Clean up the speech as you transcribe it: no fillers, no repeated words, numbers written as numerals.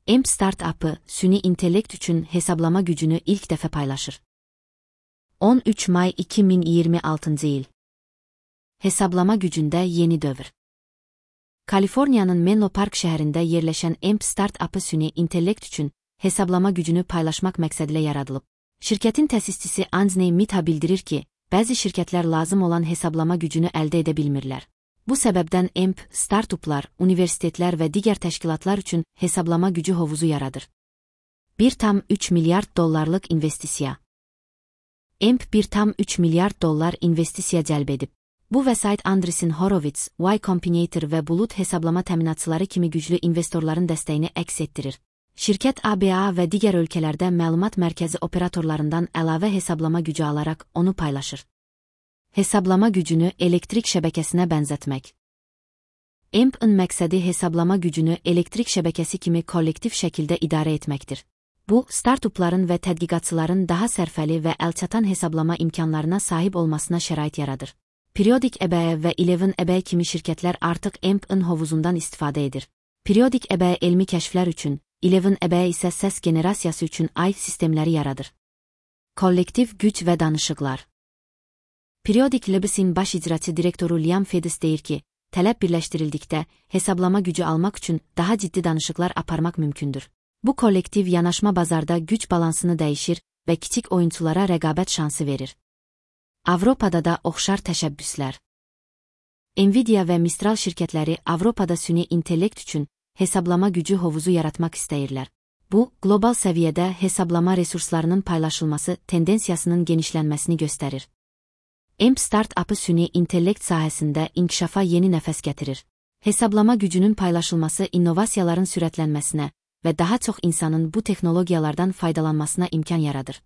EMP startup'ı süni intellekt üçün hesablama gücünü ilk dəfə paylaşır. 13 may 2026 il. Hesablama gücündə yeni dövr. Kaliforniyanın Menlo Park şəhərində yerləşən EMP startup'ı süni intellekt üçün hesablama gücünü paylaşmaq məqsədilə yaradılıb. Şirkətin təsisçisi Anthony Mitha bildirir ki, bəzi şirkətlər lazım olan hesablama gücünü əldə edə bilmirlər. Bu səbəbdən EMP startuplar, universitetlər və digər təşkilatlar üçün hesablama gücü hovuzu yaradır. 1,3 milyard dollarlıq investisiya. EMP 1,3 milyard dollar investisiya cəlb edib. Bu vəsait Andreessen Horowitz, Y Combinator və Bulut hesablama təminatçıları kimi güclü investorların dəstəyini əks etdirir. Şirkət ABA və digər ölkələrdə məlumat mərkəzi operatorlarından əlavə hesablama gücü alaraq onu paylaşır. Hesablama gücünü elektrik şəbəkəsinə bənzətmək. EMP-ın məqsədi hesablama gücünü elektrik şəbəkəsi kimi kollektiv şəkildə idarə etməkdir. Bu, startupların və tədqiqatçıların daha sərfəli və əlçatan hesablama imkanlarına sahib olmasına şərait yaradır. Periodik EBE və 11 EBE kimi şirkətlər artıq EMP-ın hovuzundan istifadə edir. Periodik EBE elmi kəşflər üçün, 11 EBE isə səs generasiyası üçün aid sistemləri yaradır. Kollektiv güc və danışıqlar. Periodik Labs'in baş icraçı direktoru Liam Fedis deyir ki, tələb birləşdirildikdə hesablama gücü almaq üçün daha ciddi danışıqlar aparmaq mümkündür. Bu kollektiv yanaşma bazarda güc balansını dəyişir və kiçik oyunçulara rəqabət şansı verir. Avropada da oxşar təşəbbüslər. Nvidia və Mistral şirkətləri Avropada süni intellekt üçün hesablama gücü hovuzu yaratmaq istəyirlər. Bu, qlobal səviyyədə hesablama resurslarının paylaşılması tendensiyasının genişlənməsini göstərir. EMP startup'ı süni intellekt sahəsində inkişafa yeni nəfəs gətirir. Hesablama gücünün paylaşılması innovasiyaların sürətlənməsinə və daha çox insanın bu texnologiyalardan faydalanmasına imkan yaradır.